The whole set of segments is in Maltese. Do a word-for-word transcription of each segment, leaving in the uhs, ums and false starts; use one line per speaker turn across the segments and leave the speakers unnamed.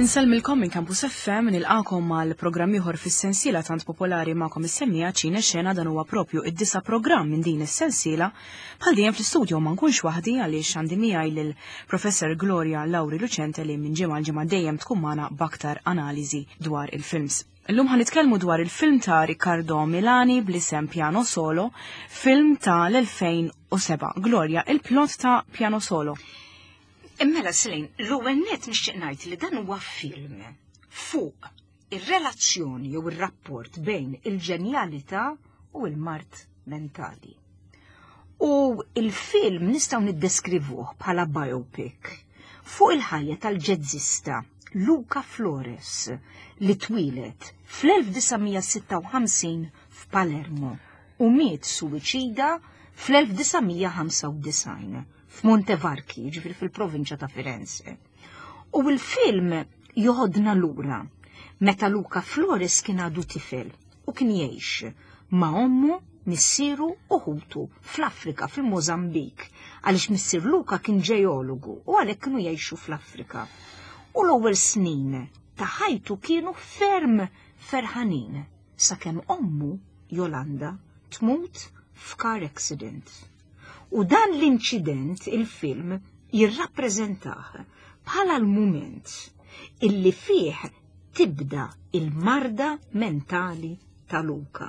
Insellmilkom minn Campus F M, nilqakom mal programm ieħor fis-sensiela tant popolari magħkom is-semmija Ċine Xena. Dan huwa propju id-disa' programm minn din is-sensiela. Bħal dejjem fl-istudio ma nkunx waħdi għaliex għandi miegħi lil Professor Gloria Lauri Lucente li minn ġimgħa l ġimgħa dejjem tkun magħna b'aktar analiżi dwar il-films. Illum ħa nitkellmu dwar il-film ta' Riccardo Milani bl-isem Piano Solo, film ta' l-elfejn u sebgħa. Gloria, il-plot ta' Piano Solo.
Mela Selin, l-ewwel net nixtieq ngħid li dan huwa film fuq ir-relazzjoni jew ir-rapport bejn il-ġenjalità u l-mard mentali. U il-film nistgħu niddeskrivuh bħala biopic fuq il-ħajja tal-ġezzista Luca Flores li twieled fl-elf disa' mija sitta u ħamsin f'Palermo u miet suwiċida fl-elf disa' mija ħamsa u disgħin f'Montevarchi, ġifieri fil-provinċja ta' Firenze. U l-film joħodna lura meta Luca Flores kien għadu tifel u kien jgħix ma' ommu, missieru u ħutu fl-Afrika, fil-Mozambik, għaliex missier Luca kien ġeologu u għalhekk kienu jgħixu fl-Afrika. U l-ewwel snin ta' ħajtu kienu ferm ferħanin sakemm ommu Jolanda tmut f'car accident. U dan l-inċident il-film jirrappreżentah bħala l-mument illi fih tibda il-marda mentali ta' Luca.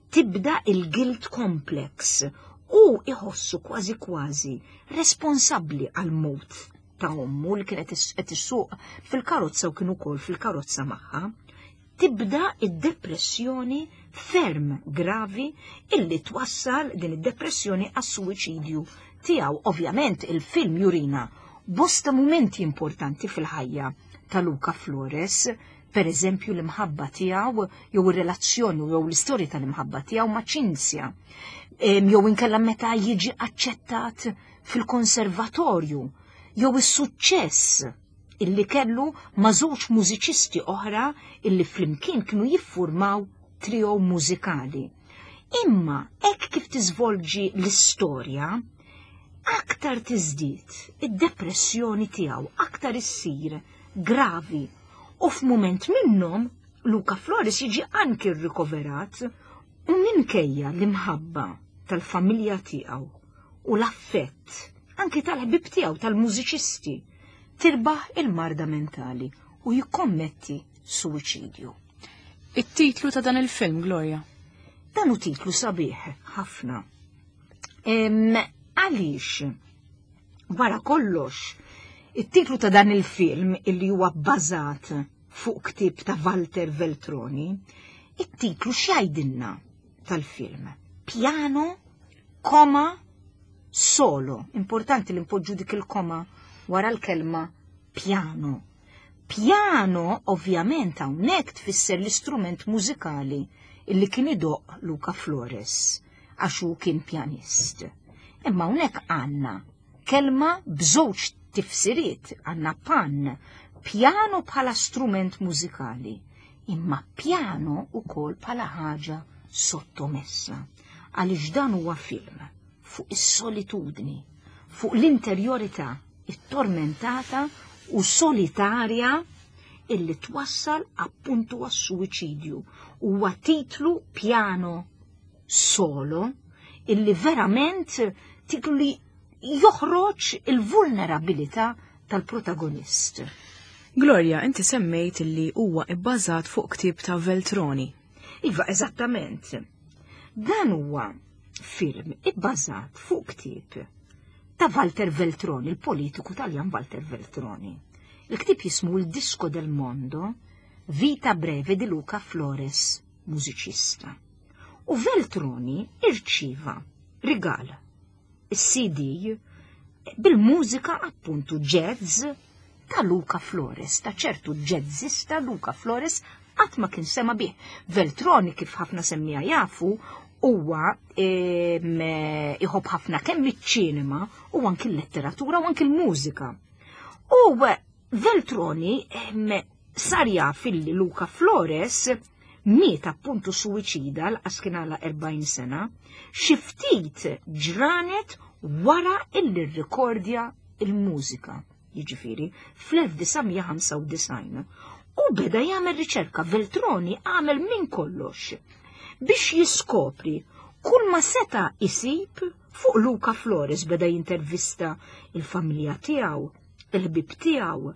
Tibda il-guilt complex u iħossu kważi kważi responsabbli għal-mewt ta' ommu li kienet qed issuq fil-karozza u kienu wkoll fil-karozza magħha. Tibda id-depressjoni ferm gravi illi twassal din id-depressjoni għas-suwiċidju tiegħu. Ovvjament il-film jurina bosta mumenti importanti fil-ħajja ta' Luca Flores, per eżempju l-imħabba tiegħu jew ir-relazzjoni jew l-istorja tal-imħabba tiegħu ma' Cinzia. Jew inkella meta jiġi aċċettat fil-konservatorju jew is-suċċess illi kellu ma' żewġ mużiċisti oħra illi flimkien kienu jiffurmaw trio mużikali. Imma hekk kif tiżvolġi l-istorja, aktar tiżdied id-depressjoni tiegħu, aktar issir gravi. U f'mument minnhom Luca Flores jiġi anki rikoverat u minkejja l-imħabba tal-familja tiegħu u l-affett anki tal-ħbib tiegħu tal-mużiċisti tirbaħ il-marda mentali u jikkommetti suwiċidju.
It-titlu ta' dan il-film, Gloria?
Dan hu titlu sabiħ ħafna. Għaliex, wara kollox, it-titlu ta' dan il-film illi huwa bbażat fuq ktieb ta' Walter Veltroni, it-titlu x'jgħidilna tal-film? Piano, koma, solo. Importanti li npoġġu dik il-koma wara l-kelma piano. Piano, ovvjament, hawnhekk tfisser l-istrument mużikali illi kien idoq Luca Flores, għax hu kien pjanist. Imma hawnhekk għandna kelma b'żewġ tifsiriet, għandna pan, piano bħala strument mużikali, imma piano ukoll bħala ħaġa sottomessa. Għaliex dan huwa film fuq is-solitudni, fuq l-interjorità it-tormentata u solitarja illi twassal appuntu għas-suwiċidju. Huwa titlu Piano Solo illi verament titlu li joħroġ il-vulnerabilità tal-protagonist.
Gloria, inti semmejt illi huwa ibbażat fuq ktieb ta' Veltroni.
Iva, eżattament. Dan huwa film ibbażat fuq ktieb ta' Walter Veltroni, il-politiku Taljan Walter Veltroni. Il-ktieb jismu Il Disco del Mondo, Vita breve di Luca Flores, musicista. U Veltroni irċiva rigal, il-C D bil-mużika appuntu jazz ta' Luca Flores, ta' ċertu jazzista Luca Flores qatt ma kien sema bih. Veltroni, kif ħafna semmija jafu, huwa iħobb ħafna kemm iċ-ċinema u anki l-letteratura u anki l-mużika. U Veltroni sar jaf illi Luca Flores miet appuntu suwiċida l kien għala erbgħin sena, xi ftit ġranet wara illi rrekordja il-mużika. jiġifieri fl-elf disa' mija ħamsa u disgħin. U beda jagħmel riċerka, Veltroni għamel minn kollox biex jiskopri kull ma seta' isib fuq Luca Flores. Beda jintervista il-familja tiegħu, il-ħbib tiegħu,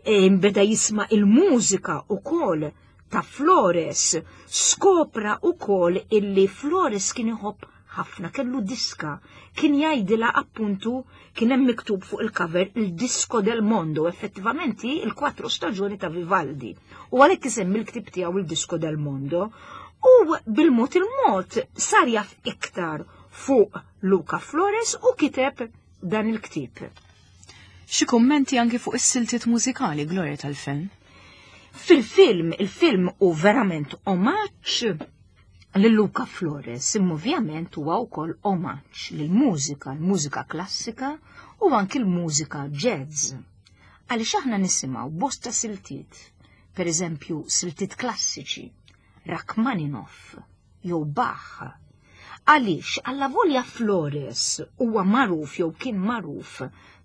e, beda jisma' il-mużika ukoll ta' Flores, skopra ukoll illi Flores kien iħobb ħafna, kellu diska, kien jgħidilha appuntu, kien hemm miktub fuq il-cover il-Disco del Mondo, effettivament il-quattro staġuni ta' Vivaldi. U għalhekk isemmi l-ktib tiegħu il-Disco del Mondo. U bil-mod il-mod sar jaf iktar fuq Luca Flores u kiteb dan il-ktib.
Xi kummenti anki fuq is-siltiet mużikali, Gloria, tal-film?
Fil-film, il-film hu verament omaġġ lil Luca Flores, imma ovvjament huwa wkoll omaġġ lill-mużika, l-mużika klassika u anki l-mużika jazz. Għaliex aħna nisimgħu bosta siltiet, per eżempju siltiet klassiċi, Rachmaninoff jew Bach. Għaliex allavolja Flores huwa magħruf jew kien magħruf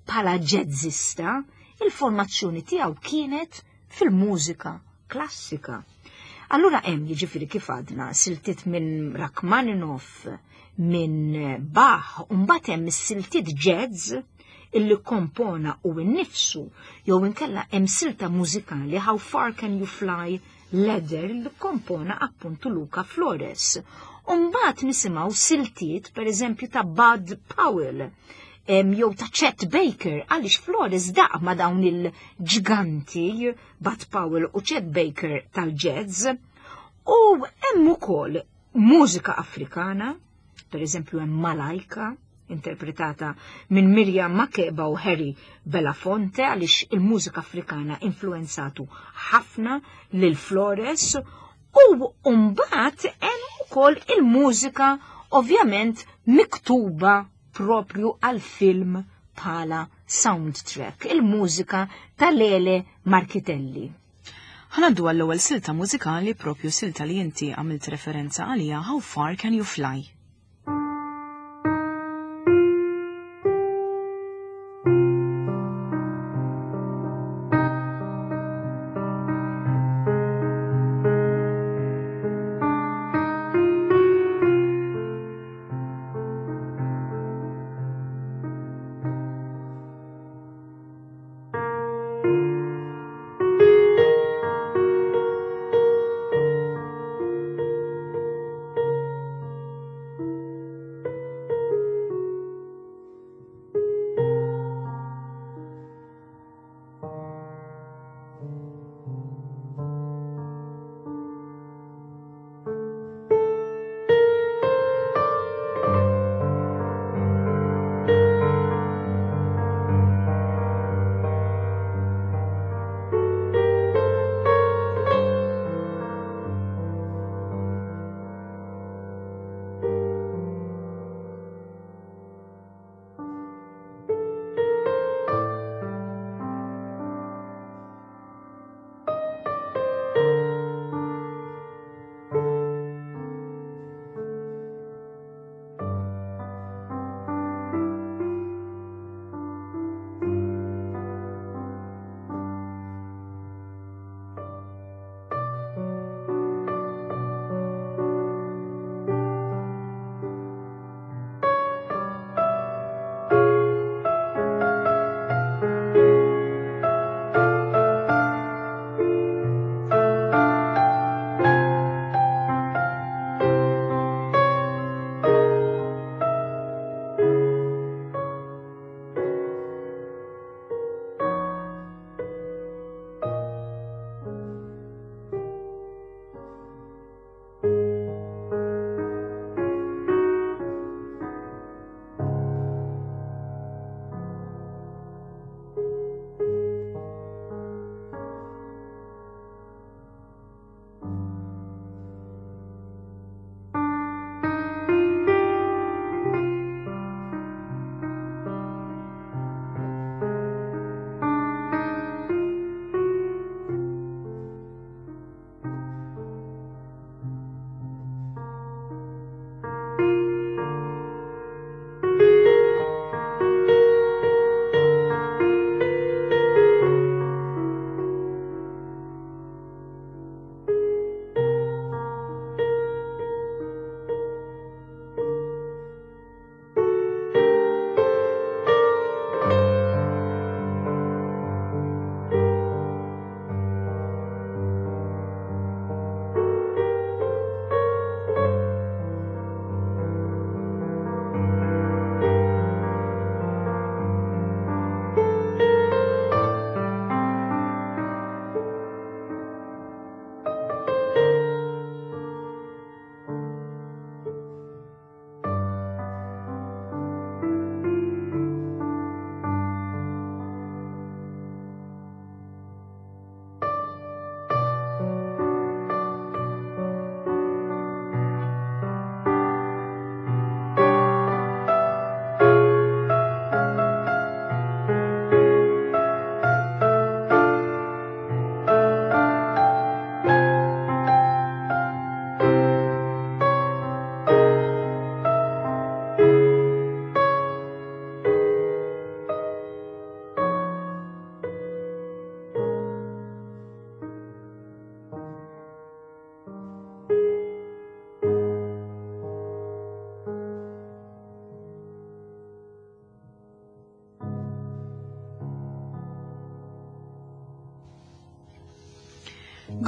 bħala jazzista, il-formazzjoni tiegħu kienet fil-mużika klassika. Allura hemm jiġifieri kif għadna siltiet minn Rachmaninoff, minn Bach, u mbagħad hemm is-siltiet jazz illi kompona u nnifsu, jew inkella hemm silta mużikali How Far Can You Fly Leather li kompona appuntu Luca Flores. U mbagħad nisimgħu siltiet pereżempju ta' Bud Powell, em, jew ta' Chet Baker, għaliex Flores daq ma' dawn il-ġganti Bud Powell u Chet Baker tal-jazz. U hemm ukoll mużika Afrikana, pereżempju hemm Malaika, interpretata minn Miriam Makeba u Harry Belafonte, għaliex il-mużika Afrikana influenzatu ħafna lil Flores. U mbagħad hemm ukoll il-mużika ovvjament miktuba propju għal-film bħala soundtrack, il-mużika ta' Lele Marchitelli.
Ħanaddu għall-ewwel silta mużikali, propju silta li inti għamilt referenza għalija, How Far Can You Fly?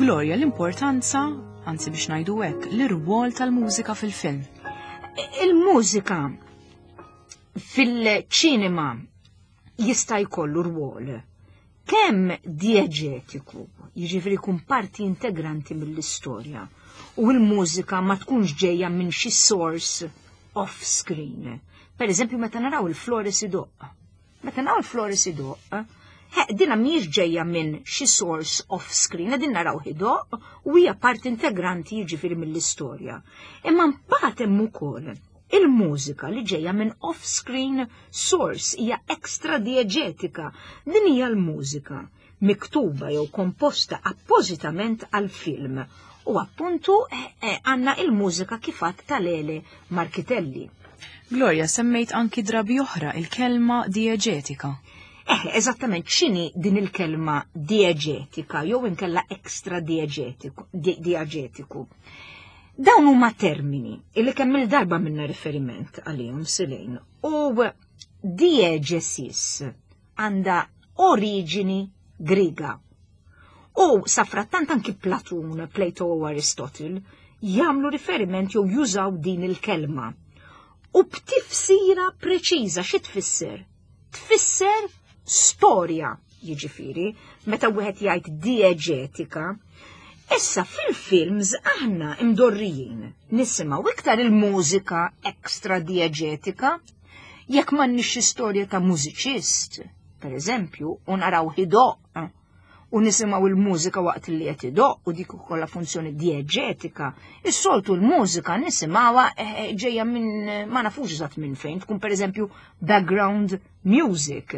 Gloria, l-importanza, anzi biex ngħidu hekk, l-irwol tal-mużika fil-film.
Il-mużika fil-ċinema jista' jkollu rwol kemm dieġetiku, jiġifieri jkun parti integranti mill-istorja, u l-mużika ma tkunx ġejja minn xi source off-screen. Per eżempju, meta naraw il-Flores idoqq. Meta naraw il-Flores idoqq, dina mhijiex ġejja minn xi source off-screen, din naraw idoqq u hija parti integranti jiġifieri mill-istorja. Imma mbagħad hemm ukoll il-mużika li ġejja minn off-screen source, hija extra dieġetika. Din hija l-mużika miktuba jew komposta appożitament għal-film. U appuntu għandna il-mużika kif għedt ta' Lele Marchitelli.
Gloria, semmejt anki drabi oħra il-kelma dieġetika.
Eh, eżattament, x'inhi din il-kelma dieġetika jew inkella extra dieġetiku? Dawn huma termini illi kemm il-darba minna riferiment għalihom silejn. U diegesis għandha oriġini Griega. U safrattant anki Platun, Plato u Aristotle jagħmlu riferiment jew jużaw din il-kelma. U b'tifsira preċiża xi tfisser? Tfisser storja, jiġifieri, meta wieħed jgħid dieġetika. Issa fil-films aħna imdorrijin nisimgħu iktar il-mużika extra dieġetika jekk m'għandniex istorja ta' mużiċist, per eżempju, u naraw idoqq u nisimgħu il-mużika waqt li qed idoqq u dik ukollha funzjoni dieġetika. Is-soltu l-mużika nisimgħuha ġejja minn ma nafux eżatt minn fejn, tkun per eżempju background music.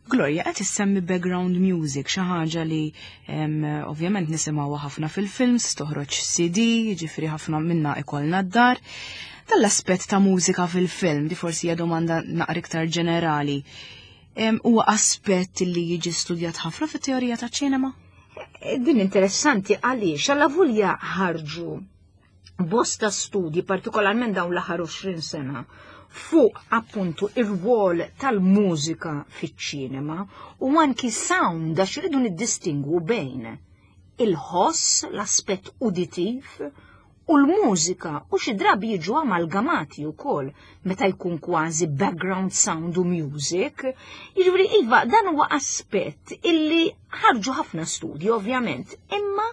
Gloria, qed issemmi background music, xi ħaġa li ovvjament nisimgħuha ħafna fil-films, toħroġ C D, jiġifieri ħafna minna ikollna d-dar. Tal-aspett ta' mużika fil-film, di forsi hija domanda naqra iktar ġenerali. Huwa aspett li jiġi studjat ħafna fit-teorija taċ-ċinema?
Din interessanti għaliex alla vulja ħarġu bosta studji, partikolarment dawn l-aħħar għoxrin sena, fuq appuntu ir-rwol tal-mużika fiċ-ċinema u anki sound, għax irridu niddistingwu bejn il-ħoss, l-aspett uditiv, u l-mużika, u xi drabi jiġu amalgamati wkoll meta jkun kważi background sound u music. Jiġifieri iva, dan huwa aspett illi ħarġu ħafna studji ovvjament, imma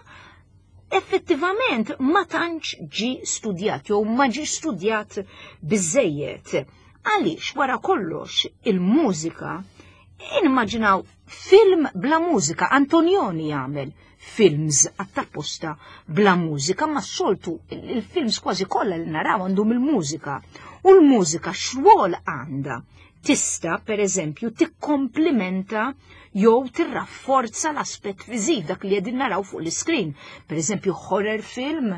effettivament ma tantx ġi studjat jew ma ġi studjat biżejjed. Għaliex wara kollox il-mużika, immaġinaw film bla mużika, Antonioni jagħmel films għattapposta bla mużika, ma s-soltu il-films kważi kollha li naraw għandhom il-mużika. U l-mużika x'rwol għandha? Tista, per eżempju, tikkomplimenta jew tirrafforza l-aspett viżiv dak li qegħdin naraw fuq l-iskrin. Per eżempju, horror film,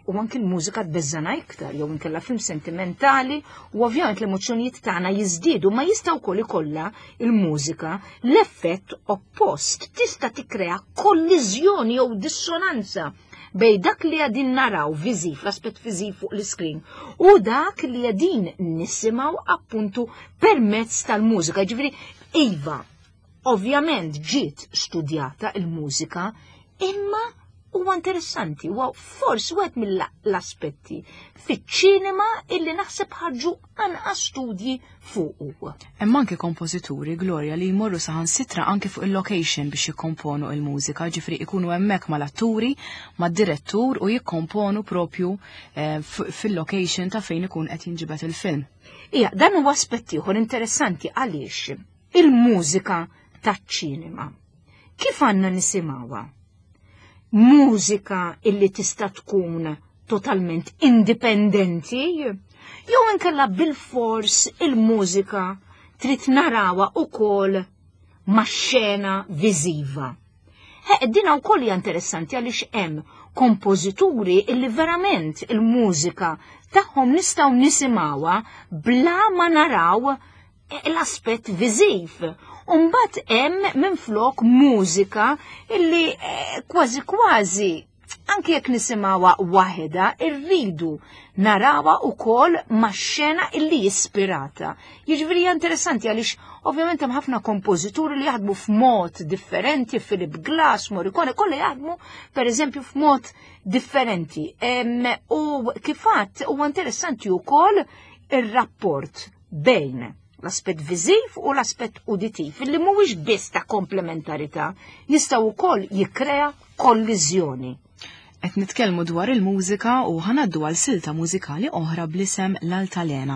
u anki l-mużika tbeżżana iktar, jew inkella film sentimentali, u ovvjament l-emozzjonijiet tagħna jiżdiedu, ma jista' wkoll ikollha il-mużika l-effett oppost. Tista' tikkrea kolliżjoni jew dissonanza bej dak li qegħdin naraw viżiv, l-aspett viżiv fuq l-iskrin, u dak li qegħdin nisimgħu appuntu permezz tal-mużika. Ġifieri, iva, ovvjament ġiet studjata il-mużika, imma huwa interessanti, huwa forsi wieħed mill-aspetti fiċ-ċinema illi naħseb ħarġu anqas studji fuqu.
Hemm anke kompożituri, Gloria, li jmorru saħansitra anke fuq il-location biex jikkomponu il-mużika, ġifri ikunu hemmhekk mal-atturi, mad-direttur u jikkomponu propju, eh, fil-location ta' fejn ikun qed jinġibed il-film.
Ija, dan huwa aspett ieħor interessanti għaliex il-mużika taċ-ċinema. Kif għandna nisimgħuha? Mużika illi tista' tkun totalment indipendenti, jew inkella bil-fors il-mużika trid narawha ukoll max-xena viżiva. He, dina wkoll hija interessanti għaliex hemm kompożituri illi verament il-mużika tagħhom nistgħu nisimgħuha bla ma naraw l-aspett viżiv. Umbat hemm minflok mużika illi, eh, kważi kważi Anki jekk nisimgħuha waħedha, irridu narawha wkoll max-xena illi ispirata. Jiġifieri hija interessanti għaliex ovvjament hemm ħafna kompożituri li jaħdmu f'mod differenti, Philip Glass, Morricone, kollha jaħdmu pereżempju f'mod differenti. U kif għadt huwa interessanti wkoll ir-rapport bejn l-aspett viżiv u l-aspett uditiv, illi mhuwiex biss ta' komplementarità, jistgħu wkoll jikkrea kolliżjoni.
Qed nitkellmu dwar il-mużika u ħanaddu għal silta mużikali oħra bl-isem L-Altalena.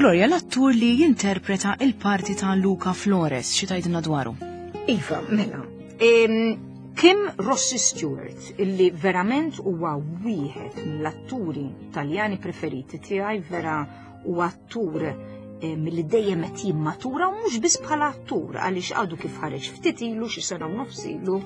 Gloria, l-attur li jinterpreta il-parti ta' Luca Flores, xi tgħidilna dwaru?
Iva, mela. Kim Rossi Stewart, illi verament huwa wieħed mill-atturi Taljani preferiti tiegħi, vera huwa attur milli dejjem qed jimmatura, u mhux biss bħala attur, għaliex għadu kif ħareġ ftit ilu, xi sena u nofs ilu,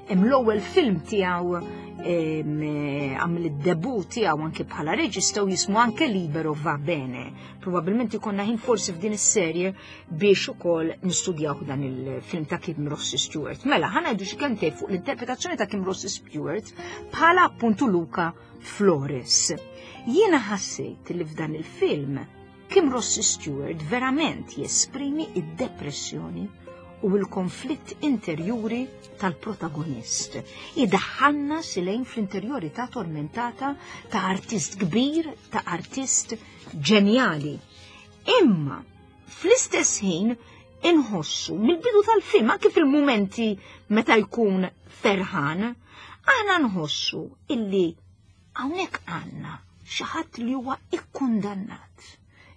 hemm l-ewwel film tiegħu għamel id-debut tiegħu anke bħala reġista u jismu anke Libero va bene. Probabilment ikonna ħin forsi f'din is-serje biex ukoll nistudjaw dan il-film ta' Kim Rossi Stewart. Mela, ħa ngħidu xi kemm fuq l-interpretazzjoni ta' Kim Rossi Stewart bħala appuntu Luca Flores. Jiena ħassejt li f'dan il-film Kim Rossi Stewart verament jesprimi id-depressjoni u l-konflitt interjuri tal-protagonist. Idaħħalna silejn fl-interjorità tormentata ta' artist kbir, ta' artist ġenjali. Imma fl-istess ħin inħossu mill-bidu tal-film, anke fil-mumenti meta jkun ferħan, aħna nħossu illi hawnhekk għandna xi ħadd li huwa ikkundannat.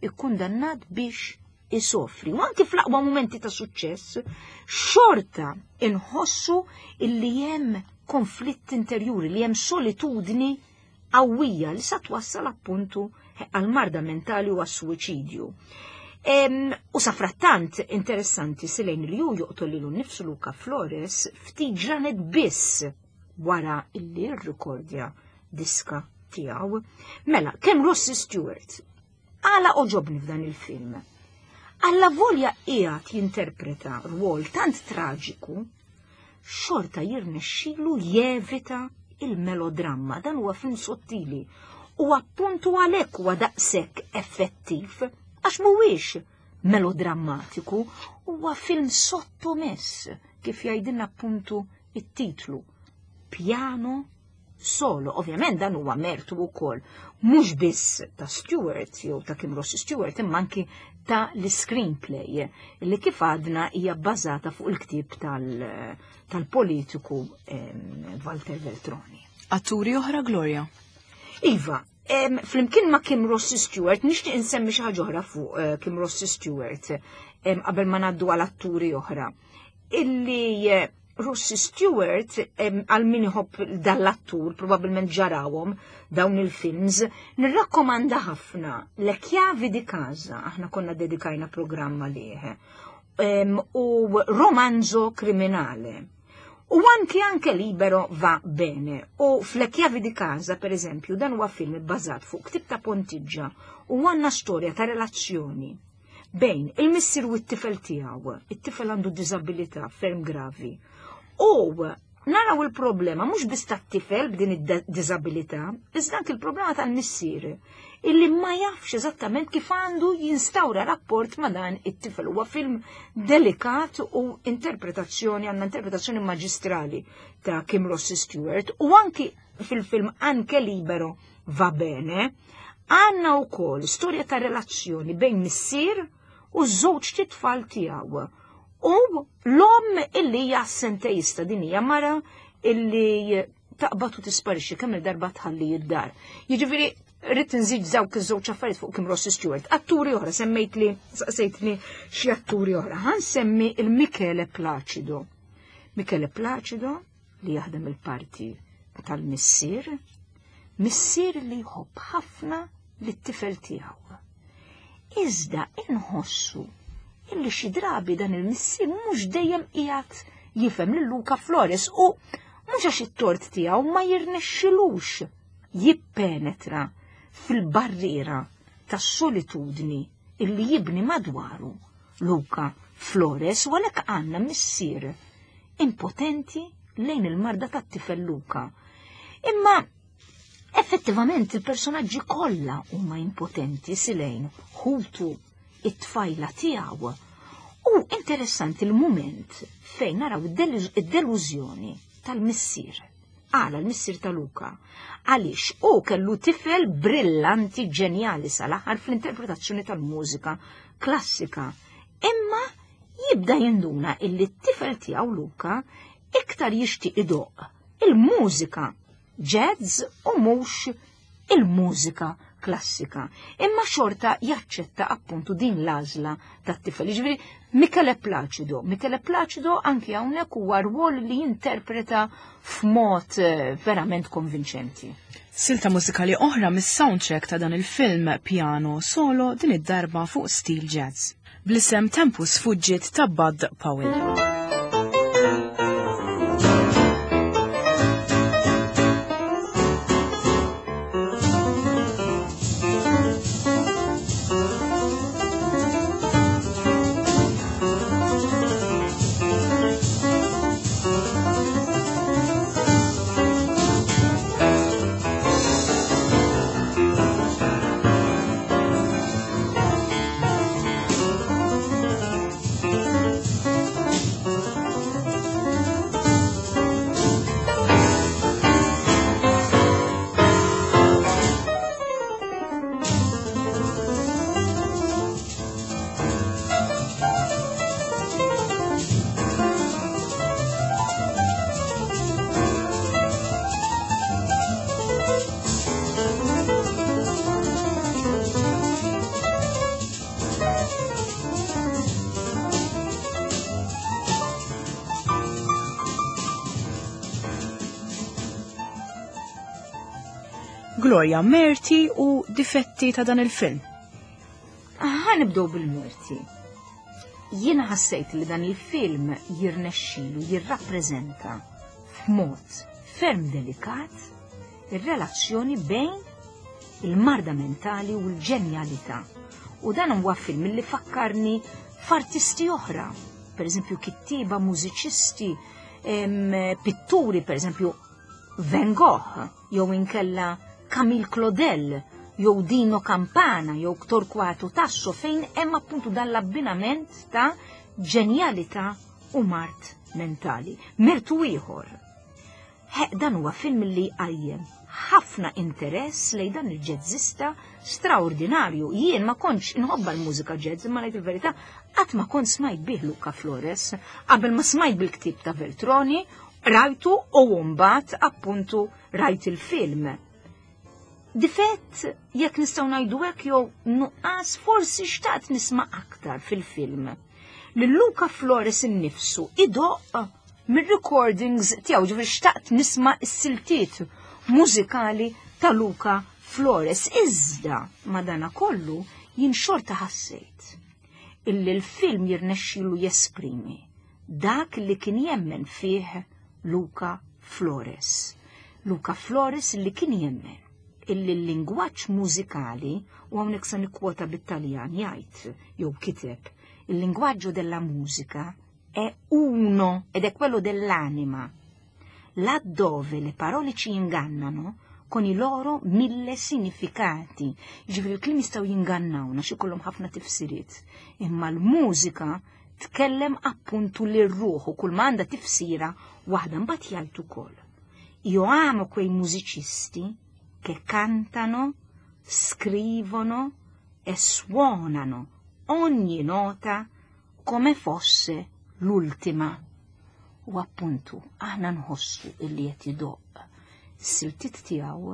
Ikkundannat biex isofri. U anki fl-aqwa momenti ta' suċċess, xorta inħossu illi hemm konflitt interjuri, li hemm solitudni qawwija li sa twassal appuntu għal-marda mentali u għas-suwiċidju. U sa frattant interessanti silejn li hu joqtol lilu nnifsu Luca Flores ftit ġranet biss wara illi rrikordja diska tiegħu. Mela, kemm Rossi Stewart għala oġobni f'dan il-film. Alla volja qiegħed jinterpreta rwol tant traġiku, xorta jirnexxilu jevita il-melodramma. Dan huwa film sottili u appuntu għalhekk huwa daqshekk effettiv, għax mhuwiex melodrammatiku, huwa film sottomess, kif jgħidilna appuntu it-titlu, Piano Solo. Ovvjament dan huwa mertu wkoll mhux biss ta' Stewart jew ta' Kim Rossi Stewart, imma anki ta' l-screenplay li kif għadna hija bbażata fuq il-ktieb tal-politiku Walter Veltroni.
Atturi oħra, Gloria?
Iva, flimkien ma' Kim Rossi Stewart, nixtieq insemmi xi ħaġa oħra fuq Kim Rossi Stewart qabel ma ngħaddu għal atturi oħra. Illi Rossi Stewart, għal min iħobb dal-attur, probabbilment ġarawhom dawn il-films, nirrakkomanda ħafna Le Chiavi di Casa, aħna konna dedikajna programma liħ, u Romanzo Criminale. U anki anke Libero va bene. U f'Le Chiavi di Casa, per eżempju, dan huwa film bbażat fuq ktib ta' Pontiġġa u għandna storja ta' relazzjoni bejn il-missier u t-tifel tiegħu. It-tifel għandu diżabilità ferm gravi. U Naraw il-problema mhux biss tat-tifel b'din id-diżabilità, iżda anke il-problema tal-missier illi ma jafx eżattament kif għandu jinstawra rapport ma' dan it-tifel. Huwa film delikat u interpretazzjoni, għandna interpretazzjoni maġistrali ta' Kim Rossi Stewart, u anki fil-film Anche Libero va bene, għandna wkoll storja ta' relazzjoni bejn missier u żewġ titfal tiegħu. U l-om illi hija assenteista, din hija mara illi taqbad u tisparixxi kemm il-darba tħalli id-dar. Jiġifieri rrid nżid dawk iż-żewġ affarijiet fuq Kim Rossi Stewart. Atturi oħra, semmejtli, saqsejtni xi atturi oħra. Ħa nsemmi il-Michele Placido. Michele Placido li jaħdem il-parti tal-missier, missier li jħobb ħafna lit-tifel tiegħu. Iżda inħossu illi xi drabi dan il-missier mhux dejjem qiegħed jifhem lil Luca Flores u mhux għax it-tort tiegħu ma jirnexxilux jippenetra fil-barriera tas-solitudni illi jibni madwaru Luca Flores, u għalhekk għandna missier impotenti lejn il-marda tat-tifel Luca. Imma effettivament il-personaġġi kollha huma impotenti silejn ħutu it-tfajla tiegħu. U interessanti l-mument fejn naraw id-delużjoni tal-missier. Għala l-missier ta' Luca. Għaliex u kellu tifel brillanti ġenjali sal-aħħar fl-interpretazzjoni tal-mużika klassika. Imma jibda jinduna illi t-tifel tiegħu Luca iktar jixtieq idoq il-mużika jazz u mhux il-mużika klassika. Imma xorta jaċċetta appuntu din l-għażla tat-tifel. Jiġifieri Michele Placido. Michele Placido anki hawnhekk huwa rwol li jinterpreta f'mod verament konvinċenti.
Silta mużikali oħra mis-soundtrack ta' dan il-film Piano Solo, din id-darba fuq stil jazz. Bl-isem Tempus Fugit ta' Bud Powell. Gloria, merti u difetti ta' dan il-film?
Ħa nibdew bil-merti. Jiena ħassejt li dan il-film jirnexxilu jirrappreżenta f'mod ferm delikat ir-relazzjoni bejn il-marda mentali u l-ġenjalità. U dan huwa film li fakkarni f'artisti oħra, per eżempju kittieba, mużiċisti, pitturi, per eżempju Van Gogh, jew inkella Camille Claudel, jew Dino Campana, jew Torquato Tasso, fejn hemm appuntu dan l-abbinament ta' ġenjalità u mart mentali. Mertu ieħor. Dan huwa film li qajjem ħafna interess lejn dan il-ġezzista straordinarju. Jien ma kontx inħobba l-mużika jazz, imma ngħid il-verità qatt ma kont smajt bih Luca Flores, qabel ma smajt bil-ktieb ta' Veltroni, rajtu u mbagħad appuntu rajt il-film. Difett, jekk nistgħu ngħidu hekk jew nuqqas, forsi xtaqt nisma' aktar fil-film. Lil Luca Flores innifsu idoq mir-recordings tiegħu, ġifieri xtaqt nisma' s-siltiet mużikali ta' Luca Flores. Iżda madana kollu jien xorta ħassejt illi l-film jirnexxilu jesprimi dak li kien jemmen fih Luca Flores. Luca Flores li kien jemmen illi l-lingwaġġ mużikali, u hawnhekk se nikkwota bit-Taljan jgħid jew kiteb, il lingwaġġo della musica è uno ed è quello dell'anima. Laddove le parole ci ingannano con i loro mille significati. Ġifieri l-kliem jistgħu jingannawna xi kollhom ħafna tifsiriet. Imma l-mużika tkellem appuntu lir-ruħ u kull m'għandha tifsira waħda. Mbagħad jgħid ukoll: "Io amo quei musicisti che cantano, scrivono e suonano ogni nota come fosse l'ultima." U appuntu, aħna nħossu illi qed idoqq is-siltiet tiegħu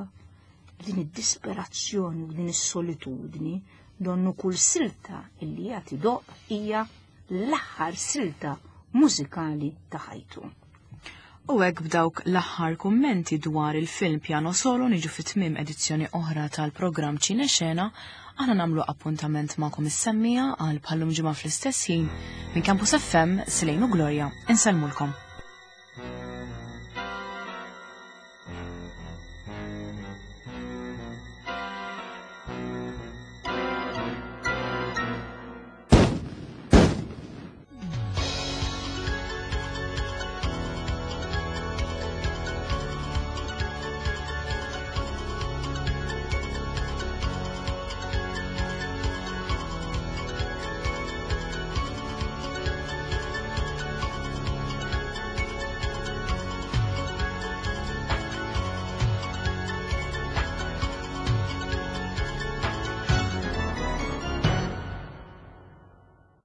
din id-disperazzjoni u din is-solitudni, donnu kull silta illi qed idoqq hija l-aħħar silta mużikali ta' ħajtu.
U hekk b'dawk l-aħħar kummenti dwar il-film Piano Solo niġu fit-tmiem edizzjoni oħra tal-programm Ċine Xena. Aħna nagħmlu appuntament magħkom is-semmiegħa għal bħal-lum ġimgħa fl-istess ħin. Minn Campus F M, Silejnu Gloria, insellmulkom.